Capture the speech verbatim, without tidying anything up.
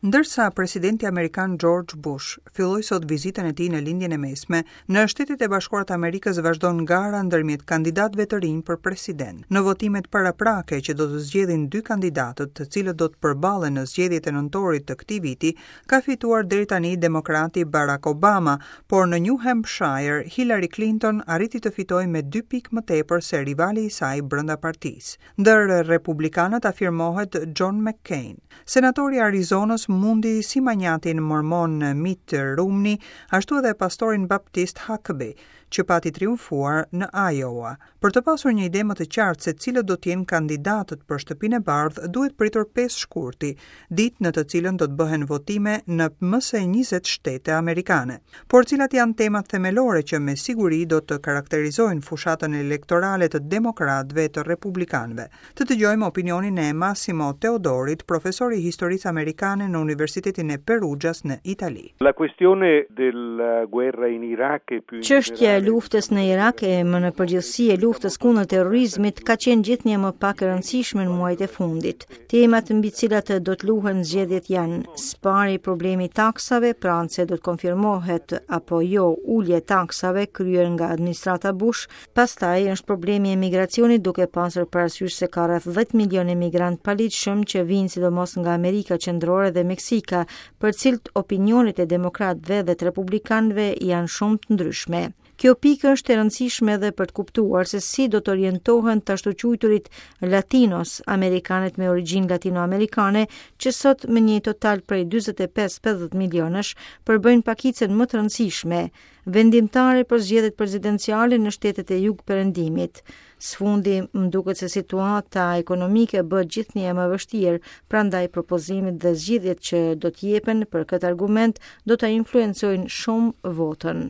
Ndërsa presidenti amerikan George Bush filloi sot vizitën e tij në Lindjen e Mesme, në Shtetet e Bashkuara të Amerikës vazhdon gara ndërmjet kandidatëve të rinj për president. Në votimet paraprake që do të zgjedhin dy kandidatët, të cilët do të përballen në zgjedhjet e nëntorit të këtij viti, ka fituar deri tani demokrati Barack Obama, por në New Hampshire Hillary Clinton arriti të fitojë me dy pikë më tepër se rivali i saj brenda partisë. Ndër republikanët afirmohet John McCain. Senatori i Arizonës mundi si manjatin mormon Mitt Romney, ashtu edhe pastorin baptist Huckabee, që pati triumfuar në Iowa. Për të pasur një ide më të qartë se cilët do të jenë kandidatët për Shtëpinë e Bardhë, duhet pritur pesë shkurti, ditë në të cilën do të bëhen votime në më se njëzet shtete amerikane. Por cilat janë temat themelore që me siguri do të karakterizojnë fushatën elektorale të demokratëve e të republikanëve? Të dëgjojmë opinionin e Massimo Teodorit, profesor i historisë amerikane në Universitetin e Perugias në Itali. La questione della guerra in Iraq e più Çështja e luftës në Irak e më në përgjithësi e luftës kundër terrorizmit ka qenë gjithnjë më pak e rëndësishme në muajt e fundit. Temat mbi cilat do të luhen zgjedhjet janë së problemi i taksave, pra nëse do të konfirmohet apo jo ulje e taksave kryer nga administrata Bush, pastaj është problemi i emigracionit, duke pasur parasysh se ka rreth dhjetë milion emigrant paligjshëm që vijnë sidomos nga Amerika Qendrore dhe Meksika, për cilët opinionet e demokratëve dhe të republikanëve janë shumë të ndryshme. Kjo pikë është e rëndësishme edhe për të kuptuar se si do të orientohen të ashtuquajturit Latinos, amerikanët me origjinë latinoamerikane, që sot me një total prej dyzet e pesë pesëdhjetë milionësh përbëjnë pakicën më të rëndësishme, vendimtare për zgjedhjet presidenciale në shtetet e jug-perëndimit. Së fundi, më duket se situata ekonomike bëhet gjithnjë më e vështirë, prandaj propozimet dhe zgjidhjet që do të jepen për këtë argument do ta influencojnë shumë votën.